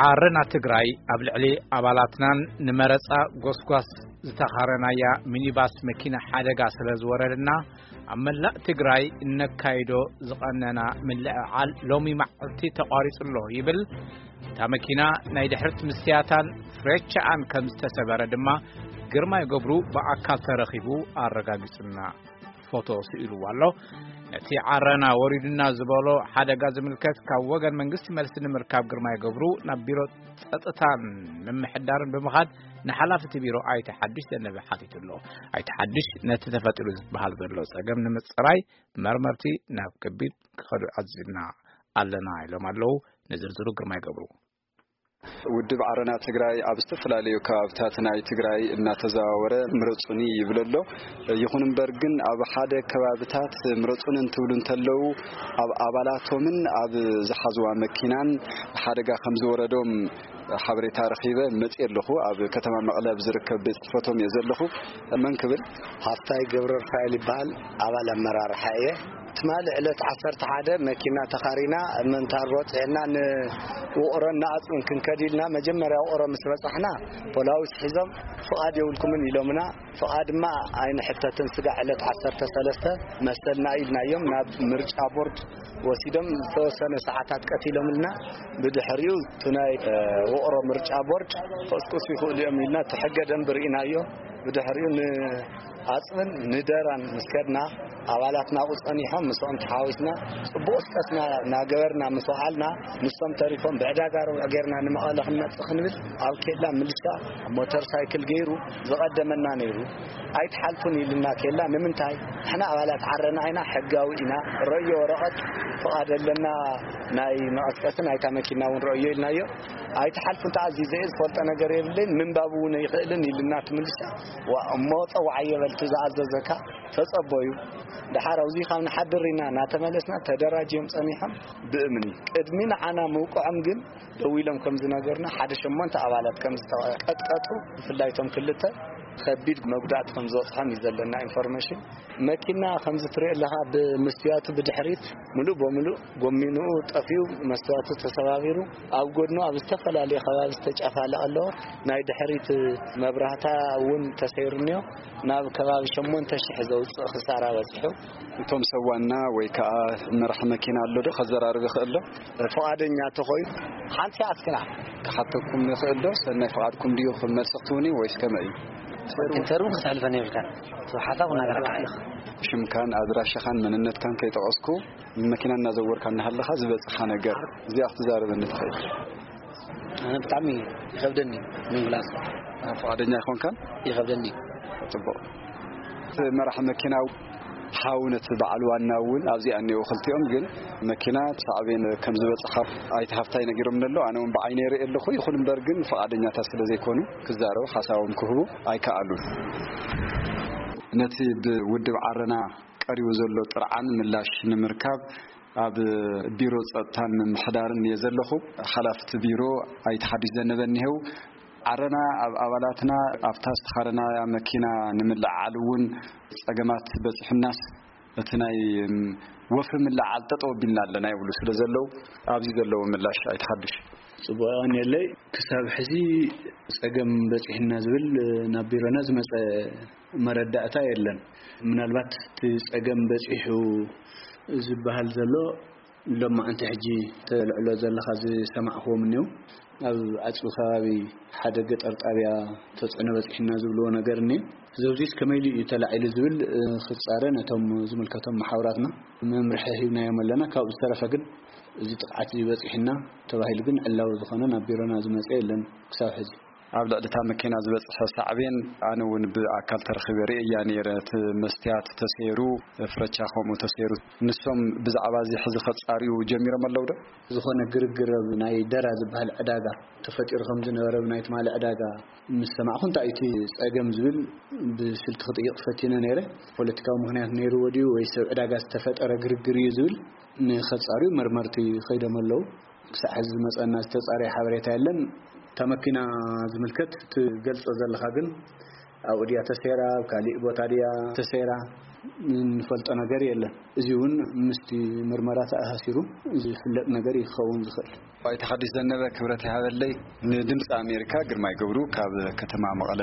ዓረና ትግራይ ኣብ ልዕሊ ኣባላትናን ንመረጻ ጎስጓስ ዝተኻረናያ ሚኒባስ መኪና ሓደጋ ስለ ዝወረደና፣ ኣብ መላእ ትግራይ እነካይዶ ዝቐነና ምልዕዓል ሎሚ መዓልቲ ተቋሪጹ ኣሎ ይብል። እታ መኪና ናይ ድሕሪት ምስያታን ፍሬቻኣን ከም ዝተሰበረ ድማ ግርማይ ገብሩ ብኣካል ተረኺቡ ኣረጋጊጹና። ፎቶ ስኢልዎ ኣሎ። ነቲ ዓረና ወሪዱና ዝበሎ ሓደጋ ዝምልከት ካብ ወገን መንግስቲ መልሲ ንምርካብ ግርማይ ገብሩ ናብ ቢሮ ጸጥታን ምምሕዳርን ብምኻድ ንሓላፊ እቲ ቢሮ ኣይተ ሓድሽ ዘነበ ሓቲቱ ኣሎ። ኣይተ ሓድሽ ነቲ ተፈጢሩ ዝበሃል ዘሎ ጸገም ንምጽራይ መርመርቲ ናብ ከቢድ ክኸዱ ኣዚዝና ኣለና ኢሎም ኣለዉ። ንዝርዝሩ ግርማይ ገብሩ። ውድብ ዓረና ትግራይ ኣብ ዝተፈላለዩ ከባብታት ናይ ትግራይ እናተዘዋወረ ምረጹኒ ይብል ኣሎ። ይኹን እምበር ግን ኣብ ሓደ ከባብታት ምረጹኒ እንትብሉ እንተለዉ ኣብ ኣባላቶምን ኣብ ዝሓዝዋ መኪናን ሓደጋ ከም ዝወረዶም ሓበሬታ ረኺበ መጽእ ኣለኹ። ኣብ ከተማ መቐለ ኣብ ዝርከብ ቤት ጽሕፈቶም እየ ዘለኹ። መን ክብል? ሃፍታይ ገብረ ሩፋኤል ይበሃል። ኣባል ኣመራርሓ እየ። ትማሊ ዕለት ዓሰርተ ሓደ መኪና ተኻሪና ምንታር በፂሕና ንውቕሮን ንኣፅብን ክንከድ ኢልና መጀመርያ ውቕሮ ምስ በፃሕና ፖላዊስ ሒዞም ፍቓድ የብልኩምን ኢሎምና። ፍቓድ ድማ ኣይንሕተትን ስጋዕ ዕለት ዓሰርተ ሰለስተ መሰልና ኢልናዮም ናብ ምርጫ ቦርድ ወሲዶም ዝተወሰነ ሰዓታት ቀቲሎምልና። ብድሕሪኡ እቲ ናይ ውቕሮ ምርጫ ቦርድ ክቕስቅሱ ይኽእሉ እዮም ኢልና እቲ ሕገ ደንቢ ርኢናዮ። ብድሕሪኡ ንኣፅብን ንደራን ምስ ከድና ኣባላትና ኣብኡ ፀኒሖም ምስኦም ተሓዊስና ፅቡቕ ስቀስና እናገበርና ምስ ወዓልና ንሶም ተሪፎም ብዕዳጋ ረቡዕ ጌርና ንመቐለ ክንመፅእ ክንብል ኣብ ኬላ ምልሻ ሞተር ሳይክል ገይሩ ዝቐደመና ነይሩ። ኣይትሓልፉን ኢልና ኬላ ንምንታይ ንሕና ኣባላት ዓረና ኢና ሕጋዊ ኢና ረእዮ ወረቐት ፍቓድ ኣለና ናይ መቐስቀሲ ናይታ መኪና እውን ረእዮ ኢልናዮ። ኣይትሓልፉን ተኣዚዘ እየ ዝፈልጦ ነገር የብለይን ምንባብ እውን ኣይኽእልን ኢልና ትምልሳ። እሞ ፀዋዓዮ በልቲ ዝኣዘዘካ ተፀበዩ። ደሓር ኣብዚ ካብ ንሓድር ኢና እናተመለስና ተደራጅዮም ፀኒሖም ብእምኒ ቅድሚ ንዓና ምውቅዖም ግን ደው ኢሎም ከም ዝነገሩና ሓደ ሸሞንተ ኣባላት ከም ዝተቀጥቀጡ ብፍላይ እቶም ክልተ ከቢድ መጉዳእቲ ከም ዝበፅሖም እዩ ዘለና ኢንፎርሜሽን። መኪና ከምዚ ትሪኦ ኣለኻ ብምስትያቱ ብድሕሪት ሙሉእ በሙሉእ ጎሚንኡ ጠፊኡ መስትያቱ ተሰባቢሩ ኣብ ጎድኑ ኣብ ዝተፈላለየ ከባቢ ዝተጨፋለቐ ኣለዎ። ናይ ድሕሪት መብራህታ እውን ተሰይሩ እኒኦ ናብ ከባቢ ሸሞንተ ሽሕ ዘውፅእ ክሳራ በፂሑ። እቶም ሰብ ዋና ወይ ከዓ መራሕ መኪና ኣሎ ዶ ከዘራርብ ይኽእል ዶ? ፍቓደኛ ተኾይኑ ሓንቲ ኣስክና ክሓተኩም ይኽእል ዶ? ሰናይ ፍቓድኩም ድዩ ክመልሲ ክትውኒ ወይስ ከመይ እዩ? ኢንተርቪው ክተሕልፈኒ ይብልካ ሓሳብ ክናገረካ ኣለኹ። ሽምካን ኣድራሻኻን መንነትካን ከይጠቐስኩ መኪና እናዘወርካ እናሃለኻ ዝበፅኻ ነገር እዚኣ ክትዛረበኒ ትኽእል? ኣነ ብጣዕሚ ይኸብደኒ ምምላስ። ፍቓደኛ ኣይኮንካን? ይኸብደኒ። ፅቡቕ። እቲ መራሕ መኪና ሓው ነቲ በዓል ዋና እውን ኣብዚኣ እኒኦ ክልቲኦም ግን መኪና ሳዕቤን ከም ዝበፅሓ ኣይተ ሃፍታይ ነጊሮም ኣሎ። ኣነ እውን ብዓይነ ይርኢ ኣለኹ። ይኹን እምበር ግን ፍቓደኛታት ስለ ዘይኮኑ ክዛረቡ ሓሳቦም ክህቡ ኣይከኣሉን። ነቲ ብውድብ ዓረና ቀሪቡ ዘሎ ጥርዓን ምላሽ ንምርካብ ኣብ ቢሮ ጸጥታን ምምሕዳርን እየ ዘለኹ። ሓላፍቲ ቢሮ ኣይተ ሓድሽ ዘነበ እኒሄው። ዓረና ኣብ ኣባላትና ኣብታ ዝተኻረናያ መኪና ንምልዕዓል እውን ጸገማት በጺሑናስ እቲ ናይ ወፍሪ ምልዕዓል ጠጠው ኣቢልና ኣለና ይብሉ ስለ ዘለዉ ኣብዚ ዘለዎ ምላሽ ኣይተ ሓድሽ። ጽቡቕ የቐንየለይ። ክሳብ ሕዚ ጸገም በጺሕና ዝብል ናብ ቢሮና ዝመጸ መረዳእታ የለን። ምናልባት እቲ ጸገም በጺሑ ዝበሃል ዘሎ ሎማዓንቲ ሕጂ ተልዕሎ ዘለኻ ዝሰማዕኽዎም እኒው ኣብ ኣፅቢ ከባቢ ሓደ ገጠር ጣብያ ተፅዕኖ በፂሕና ዝብልዎ ነገር እኒ ዘብዚስ ከመይሉ እዩ ተላዒሉ ዝብል ክፃረ ነቶም ዝምልከቶም መሓውራትና መምርሒ ሂብናዮም ኣለና። ካብኡ ዝተረፈ ግን እዚ ጥቕዓት ዝበፂሕና ተባሂሉ ግን ዕላዊ ዝኾነ ናብ ቢሮና ዝመፀ የለን ክሳብ ሕዚ። ኣብ ልዕሊ እታ መኪና ዝበፅሐ ሳዕቤን ኣነ እውን ብኣካል ተረኺበ ርእያ ነይረ። እቲ መስትያት ተሰይሩ፣ ፍረቻ ከምኡ ተሰይሩ። ንሶም ብዛዕባ እዚ ሕዚ ከፃርዩ ጀሚሮም ኣለዉ ዶ? ዝኾነ ግርግር ኣብ ናይ ደራ ዝበሃል ዕዳጋ ተፈጢሩ ከም ዝነበረ ብናይ ትማሊ ዕዳጋ ምስ ሰማዕኹ እንታይ እቲ ፀገም ዝብል ብስልኪ ክጥይቕ ፈቲነ ነይረ። ፖለቲካዊ ምኽንያት ነይርዎ ድዩ ወይ ሰብ ዕዳጋ ዝተፈጠረ ግርግር እዩ ዝብል ንኸፃርዩ መርመርቲ ከይዶም ኣለዉ። ክሳዕ ሕዚ ዝመፀና ዝተፃረየ ሓበሬታ የለን። እታ መኪና ዝምልከት ትገልፆ ዘለኻ ግን ኣብኡ ድያ ተሰይራ ኣብ ካሊእ ቦታ ድያ ተሰይራ? እንፈልጦ ነገር የለን። እዚ እውን ምስቲ ምርመራ ተኣሳሲሩ ዝፍለጥ ነገር ይኸውን ዝኽእል። ኣይተ ሓድሽ ዘነበ፣ ክብረት ይሃበለይ። ንድምፂ ኣሜሪካ ግርማይ ገብሩ ካብ ከተማ መቐለ።